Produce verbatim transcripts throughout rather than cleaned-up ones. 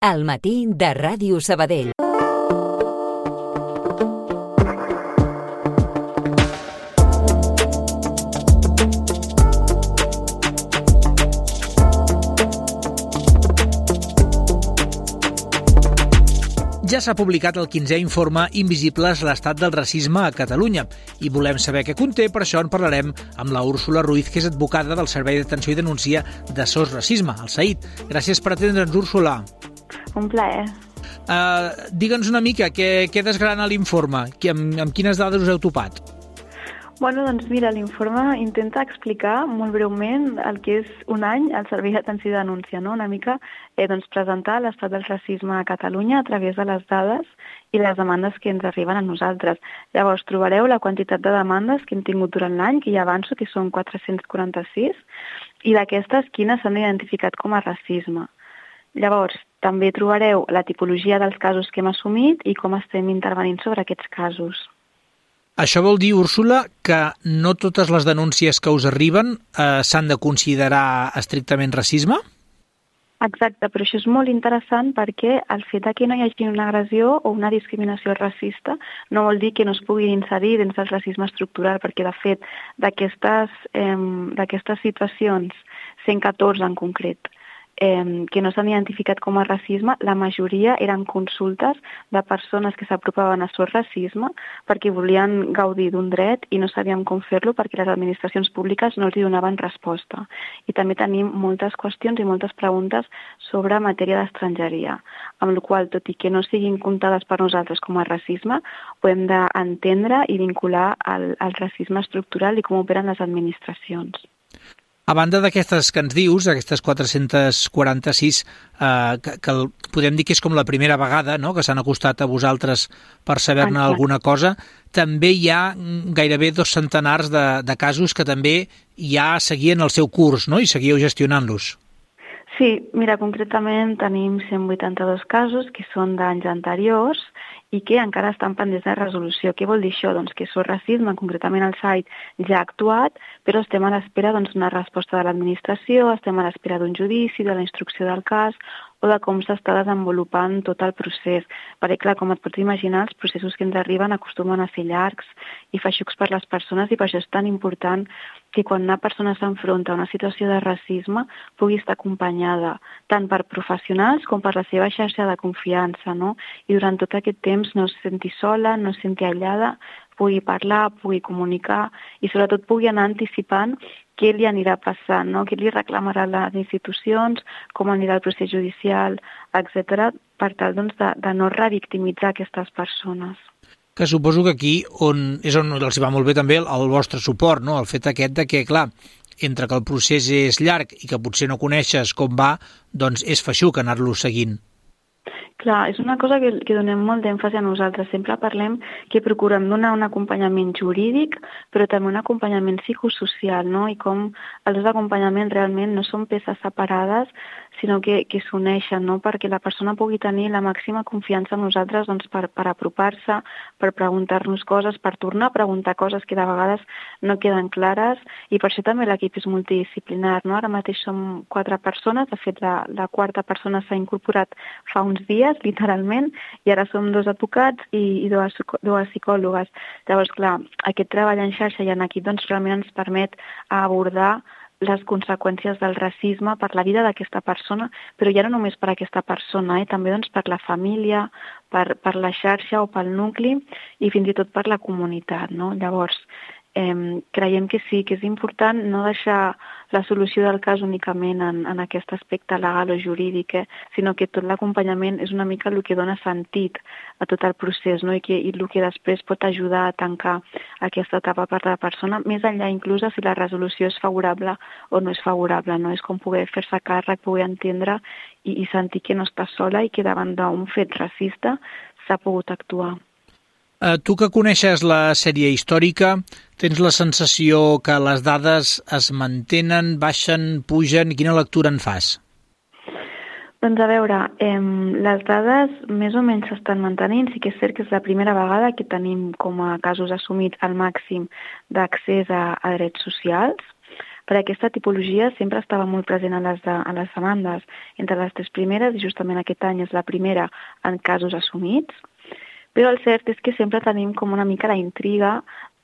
Al matí de Ràdio Sabadell. Ja s'ha publicat el quinzè informe Invisibles, l'estat del racisme a Catalunya i volem saber què conté, per això en parlarem amb la Úrsula Ruiz, que és advocada del Servei d'Atenció i Denúncia de SOS Racisme, el SAID. Gràcies per atendre'ns, Úrsula. Un plaer. Uh, Digue'ns una mica què, què desgrana l'informe, amb, amb quines dades us heu topat? Bueno, doncs mira, l'informe intenta explicar molt breument el que és un any al Servei d'Atenció i Denúncia, no? Una mica eh, doncs, presentar l'estat del racisme a Catalunya a través de les dades i les demandes que ens arriben a nosaltres. Llavors, trobareu la quantitat de demandes que hem tingut durant l'any, que ja avanço, que són quatre-cents quaranta-sis, i d'aquestes, quines s'han identificat com a racisme. Llavors, també trobareu la tipologia dels casos que hem assumit i com estem intervenint sobre aquests casos. Això vol dir, Úrsula, que no totes les denúncies que us arriben eh, s'han de considerar estrictament racisme? Exacte, però això és molt interessant perquè el fet que no hi hagi una agressió o una discriminació racista no vol dir que no es puguin inserir dins del racisme estructural, perquè de fet d'aquestes eh, d'aquestes situacions, cent catorze en concret, Eh, que no s'han identificat com a racisme, la majoria eren consultes de persones que s'apropaven a SOS Racisme perquè volien gaudir d'un dret i no sabíem com fer-lo perquè les administracions públiques no els hi donaven resposta. I també tenim moltes qüestions i moltes preguntes sobre matèria d'estrangeria, amb la qual, tot i que no siguin comptades per nosaltres com a racisme, ho hem d'entendre i vincular al, al racisme estructural i com operen les administracions. A banda d'aquestes que ens dius, aquestes quatre-cents quaranta-sis, eh, que, que el, podem dir que és com la primera vegada, no?, que s'han acostat a vosaltres per saber-ne alguna cosa, també hi ha gairebé dos centenars de, de casos que també ja seguien el seu curs, no?, i seguíeu gestionant-los. Sí, mira, concretament tenim cent vuitanta-dos casos que són d'anys anteriors i que encara estan pendents de resolució. Què vol dir això? Doncs que SOS Racisme, concretament el SAID, ja ha actuat, però estem a l'espera doncs, d'una resposta de l'administració, estem a l'espera d'un judici, de la instrucció del cas o de com s'està desenvolupant tot el procés. Perquè, clar, com et pots imaginar, els processos que ens arriben acostumen a ser llargs i feixucs per les persones i per això és tan important que quan una persona s'enfronta a una situació de racisme pugui estar acompanyada tant per professionals com per la seva xarxa de confiança, no? I durant tot aquest temps no es senti sola, no es senti aïllada, pugui parlar, pugui comunicar i sobretot pugui anar anticipant què li anirà passant, no? Què li reclamarà les institucions, com anirà el procés judicial, etcètera, per tal doncs, de, de no revictimitzar aquestes persones. Que suposo que aquí on, és on els va molt bé també el, el vostre suport, no? El fet aquest de que, clar, entre que el procés és llarg i que potser no coneixes com va, doncs és feixuc anar-lo seguint. Clar, és una cosa que, que donem molt d'èmfasi a nosaltres. Sempre parlem que procurem donar un acompanyament jurídic, però també un acompanyament psicosocial, no? I com els dos acompanyaments realment no són peces separades, sinó que, que s'uneixen, no? Perquè la persona pugui tenir la màxima confiança en nosaltres doncs, per, per apropar-se, per preguntar-nos coses, per tornar a preguntar coses que de vegades no queden clares, i per això també l'equip és multidisciplinar, no? Ara mateix som quatre persones, de fet la, la quarta persona s'ha incorporat fa uns dies, literalment, i ara som dos advocats i, i dues, dues psicòlogues. Llavors, clar, aquest treball en xarxa i en equip doncs, realment ens permet abordar les conseqüències del racisme per la vida d'aquesta persona, però ja no només per aquesta persona, eh? També doncs, per la família, per, per la xarxa o pel nucli i fins i tot per la comunitat, no? Llavors, eh, creiem que sí, que és important no deixar la solució del cas únicament en, en aquest aspecte legal o jurídic, eh? Sinó que tot l'acompanyament és una mica el que dona sentit a tot el procés, no? I, que, i el que després pot ajudar a tancar aquesta etapa per la persona, més enllà inclús si la resolució és favorable o no és favorable, no? És com poder fer-se càrrec, poder entendre i, i sentir que no està sola i que davant d'un fet racista s'ha pogut actuar. Uh, tu que coneixes la sèrie històrica, tens la sensació que les dades es mantenen, baixen, pugen? Quina lectura en fas? Doncs a veure, eh, les dades més o menys s'estan mantenint. Sí que és cert que és la primera vegada que tenim com a casos assumits al màxim d'accés a, a drets socials. perquè aquesta tipologia sempre estava molt present a les, de, a les demandes. Entre les tres primeres, i justament aquest any és la primera en casos assumits, però el cert és que sempre tenim com una mica la intriga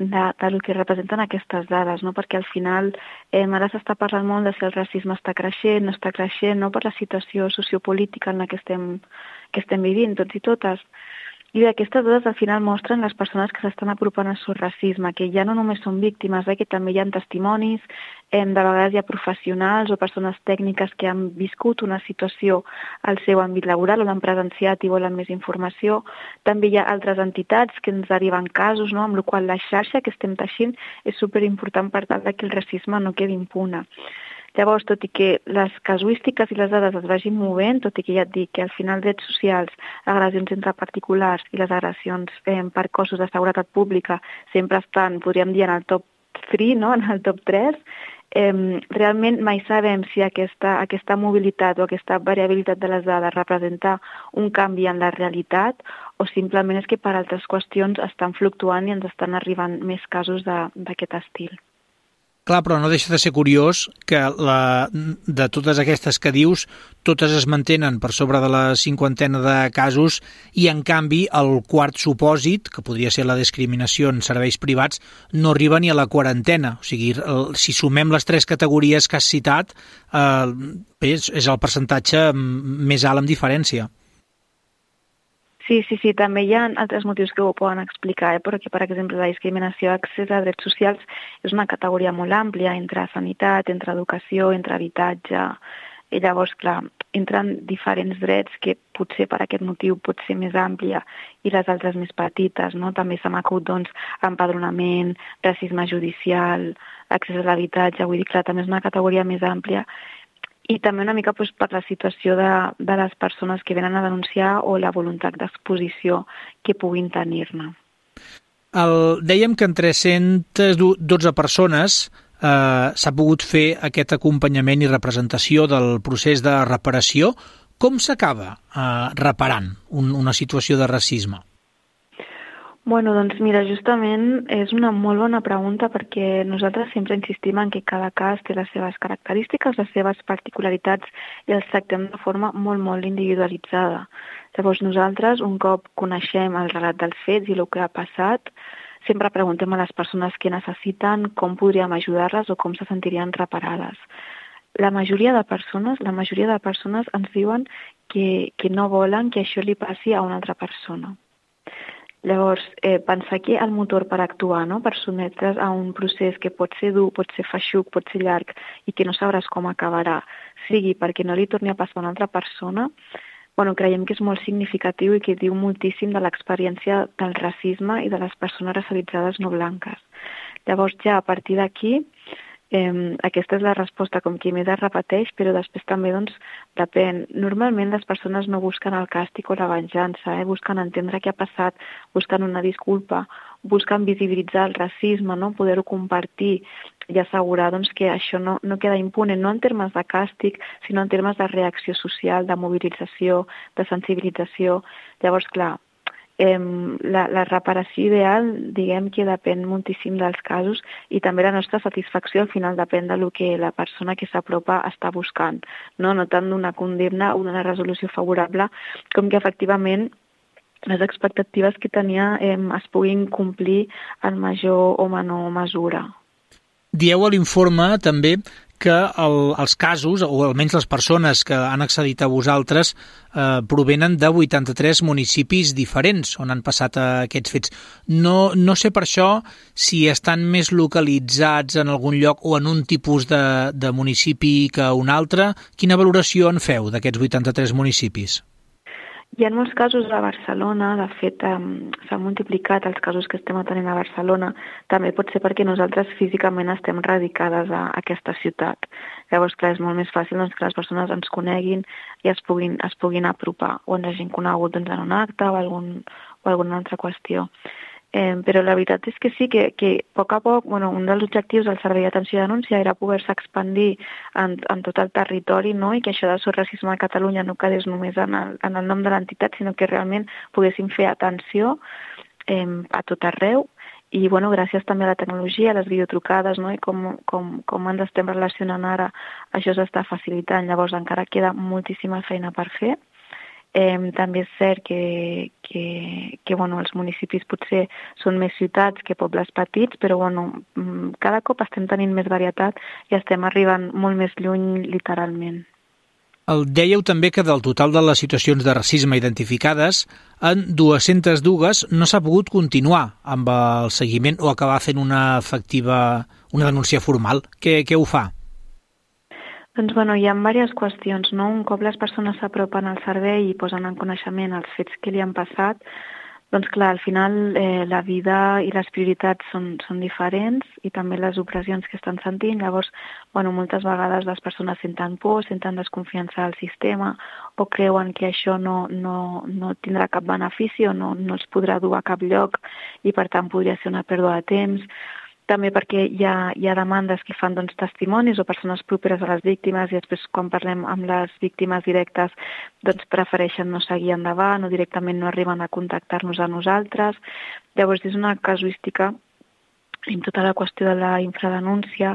de, del que representen aquestes dades, no? Perquè al final eh, ara s'està parlant molt de si el racisme està creixent, no està creixent, no? Per la situació sociopolítica en la que estem, que estem vivint tots i totes. I aquestes dades al final mostren les persones que s'estan apropant al racisme, que ja no només són víctimes, eh, que també hi ha testimonis, eh, de vegades hi ha professionals o persones tècniques que han viscut una situació al seu àmbit laboral o l'han presenciat i volen més informació. També hi ha altres entitats que ens deriven casos, no? Amb la qual la xarxa que estem teixint és superimportant per tal que el racisme no quedi impune. Llavors, tot i que les casuístiques i les dades es vagin movent, tot i que ja et dic que al final drets socials, agressions entre particulars i les agressions eh, per cossos de seguretat pública sempre estan, podríem dir, en el top tres, no? En el top tres, eh, realment mai sabem si aquesta, aquesta mobilitat o aquesta variabilitat de les dades representa un canvi en la realitat o simplement és que per altres qüestions estan fluctuant i ens estan arribant més casos d'aquest estil. Clar, però no deixa de ser curiós que la, de totes aquestes que dius, totes es mantenen per sobre de la cinquantena de casos i, en canvi, el quart supòsit, que podria ser la discriminació en serveis privats, no arriba ni a la quarantena. O sigui, el, si sumem les tres categories que has citat, eh, és, és el percentatge més alt amb diferència. Sí, sí, sí, també hi ha altres motius que ho poden explicar, eh? Perquè, per exemple, la discriminació a accés a drets socials és una categoria molt àmplia entre sanitat, entre educació, entre habitatge, i llavors, clar, entren diferents drets que potser per aquest motiu pot ser més àmplia i les altres més petites, no? També se m'ha acudit, doncs, empadronament, racisme judicial, accés a l'habitatge, vull dir, clar, també és una categoria més àmplia. I també una mica doncs, per la situació de, de les persones que venen a denunciar o la voluntat d'exposició que puguin tenir-ne. El, dèiem que en tres-centes dotze persones eh, s'ha pogut fer aquest acompanyament i representació del procés de reparació. Com s'acaba eh, reparant un, una situació de racisme? Bueno, doncs mira, justament és una molt bona pregunta perquè nosaltres sempre insistim en que cada cas té les seves característiques, les seves particularitats i els tractem de forma molt, molt individualitzada. Llavors nosaltres, un cop coneixem el relat dels fets i el que ha passat, sempre preguntem a les persones què necessiten, com podríem ajudar-les o com se sentirien reparades. La majoria de persones, la majoria de persones ens diuen que, que no volen que això li passi a una altra persona. Llavors, eh, pensar que el motor per actuar, no? Per sotmetre's a un procés que pot ser dur, pot ser feixuc, pot ser llarg i que no sabràs com acabarà, sigui perquè no li torni a passar a una altra persona, bueno, creiem que és molt significatiu i que diu moltíssim de l'experiència del racisme i de les persones racialitzades no blanques. Llavors, ja a partir d'aquí, Eh, aquesta és la resposta com qui més es repeteix, però després també doncs, depèn. Normalment les persones no busquen el càstig o la venjança, eh? Busquen entendre què ha passat, busquen una disculpa, busquen visibilitzar el racisme, no? Poder-ho compartir i assegurar doncs, que això no, no queda impune, no en termes de càstig, sinó en termes de reacció social, de mobilització, de sensibilització. Llavors, clar, Eh, la, la reparació ideal, diguem que depèn moltíssim dels casos i també la nostra satisfacció al final depèn del que la persona que s'apropa està buscant, no, no tant d'una condemna o d'una resolució favorable com que efectivament les expectatives que tenia eh, es puguin complir en major o menor mesura. Dieu a l'informe també que el, els casos, o almenys les persones que han accedit a vosaltres, eh, provenen de vuitanta-tres municipis diferents on han passat eh, aquests fets. No, no sé per això si estan més localitzats en algun lloc o en un tipus de, de municipi que un altre. Quina valoració en feu d'aquests vuitanta-tres municipis? Hi ha molts casos a Barcelona, de fet um, s'han multiplicat els casos que estem atenent a Barcelona, també pot ser perquè nosaltres físicament estem radicades a, a aquesta ciutat. Llavors, clar, és molt més fàcil doncs, que les persones ens coneguin i es puguin, es puguin apropar o ens hagin conegut doncs, en un acte o, algun, o alguna altra qüestió. Eh, però la veritat és que sí, que, que a poc a poc, bueno, un dels objectius del Servei d'Atenció i Denúncia era poder-se expandir en, en tot el territori, no? I que això de racisme a Catalunya no quedés només en el, en el nom de l'entitat, sinó que realment poguéssim fer atenció eh, a tot arreu i bueno, gràcies també a la tecnologia, a les videotrucades, no? I com, com, com ens estem relacionant ara, això s'està facilitant. Llavors encara queda moltíssima feina per fer. Eh, també és cert que, que, que bueno, els municipis potser són més ciutats que pobles petits, però bueno, cada cop estem tenint més varietat i estem arribant molt més lluny literalment. El dèieu també que del total de les situacions de racisme identificades, en dues-centes dues no s'ha pogut continuar amb el seguiment o acabar fent una efectiva, una denúncia formal. Què, què ho fa? Doncs bueno, hi ha diverses qüestions, no? Un cop les persones s'apropen al servei i posen en coneixement els fets que li han passat, doncs clar, al final eh, la vida i les prioritats són, són diferents i també les opressions que estan sentint. Llavors, bueno, moltes vegades les persones senten por, senten desconfiança al sistema o creuen que això no, no, no tindrà cap benefici o no, no els podrà dur a cap lloc i per tant podria ser una pèrdua de temps. També perquè hi ha, hi ha demandes que fan doncs, testimonis o persones properes a les víctimes i després quan parlem amb les víctimes directes doncs, prefereixen no seguir endavant o directament no arriben a contactar-nos a nosaltres. Llavors és una casuística en tota la qüestió de la infradenúncia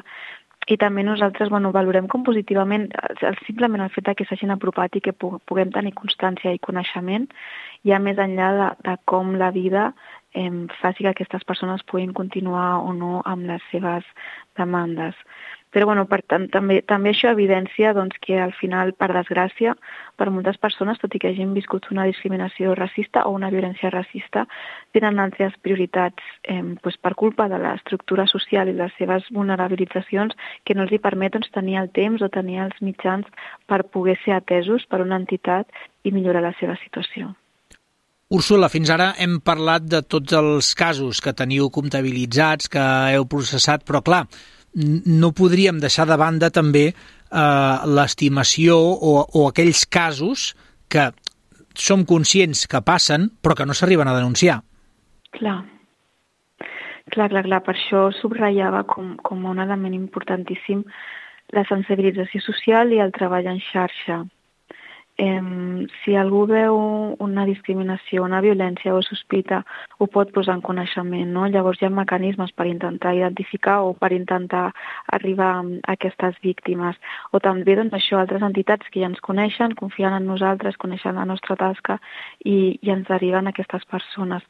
i també nosaltres bueno, valorem com positivament el, simplement el fet que s'hagin apropat i que puguem tenir constància i coneixement ja més enllà de, de com la vida eh, faci que aquestes persones puguin continuar o no amb les seves demandes. Però bueno, per tant, també, també això evidència doncs, que al final, per desgràcia, per moltes persones, tot i que hagin viscut una discriminació racista o una violència racista, tenen altres prioritats eh, doncs per culpa de l'estructura social i les seves vulnerabilitzacions que no els hi permet doncs, tenir el temps o tenir els mitjans per poder ser atesos per una entitat i millorar la seva situació. Úrsula, fins ara hem parlat de tots els casos que teniu comptabilitzats, que heu processat, però clar, no podríem deixar de banda també eh, l'estimació o, o aquells casos que som conscients que passen però que no s'arriben a denunciar. Clar, clar, clar, clar. Per això subratllava com, com un element importantíssim la sensibilització social i el treball en xarxa. Eh, si algú veu una discriminació, una violència o sospita, ho pot posar en coneixement, no? Llavors hi ha mecanismes per intentar identificar o per intentar arribar a aquestes víctimes. O també, doncs, això, altres entitats que ja ens coneixen, confien en nosaltres, coneixen la nostra tasca i, i ens deriven a aquestes persones.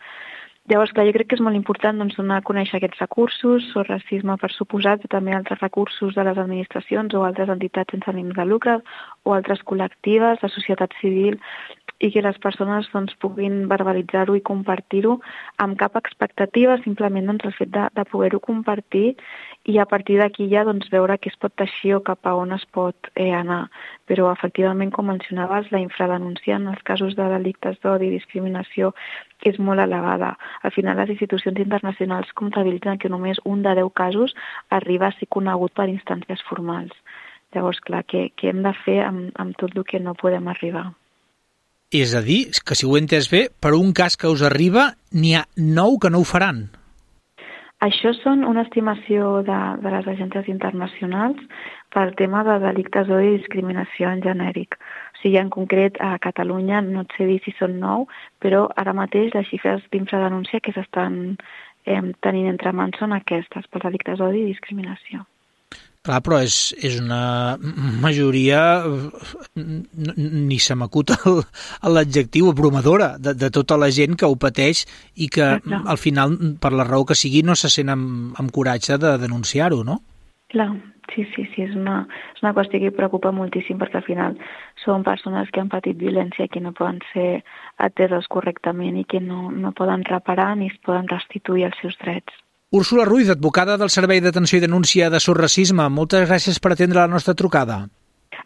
Llavors, clar, jo crec que és molt important doncs, donar a conèixer aquests recursos, o racisme per suposat, i també altres recursos de les administracions o altres entitats sense ànims de lucre o altres col·lectives, la societat civil, i que les persones doncs, puguin verbalitzar-ho i compartir-ho amb cap expectativa, simplement doncs, el fet de, de poder-ho compartir i a partir d'aquí ja doncs, veure què es pot teixir o cap a on es pot eh, anar. Però efectivament, com mencionaves, la infradenúncia en els casos de delictes d'odi i discriminació és molt elevada. Al final, les institucions internacionals comptabilitzen que només un de deu casos arriba a ser conegut per instàncies formals. Llavors, clar, què, què hem de fer amb, amb tot el que no podem arribar? És a dir, que si ho he entès bé, per un cas que us arriba, n'hi ha nou que no ho faran. Això són una estimació de, de les agències internacionals pel tema de delictes d'odi i discriminació en genèric. O sigui, en concret, a Catalunya no et sé dir si són nou, però ara mateix les xifres d'infradenúncia que s'estan eh, tenint entre mans són aquestes, pels delictes d'odi i discriminació. Clar, però és, és una majoria, ni se m'acut l'adjectiu, abrumadora, de, de tota la gent que ho pateix i que clar, al final, per la raó que sigui, no se sent amb, amb coratge de denunciar-ho, no? Clar, sí, sí, sí, és una, és una qüestió que preocupa moltíssim perquè al final són persones que han patit violència que no poden ser ateses correctament i que no, no poden reparar ni es poden restituir els seus drets. Úrsula Ruiz, advocada del Servei d'Atenció i Denúncia de Surracisme, moltes gràcies per atendre la nostra trucada.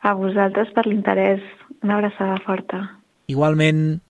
A vosaltres per l'interès. Una abraçada forta. Igualment.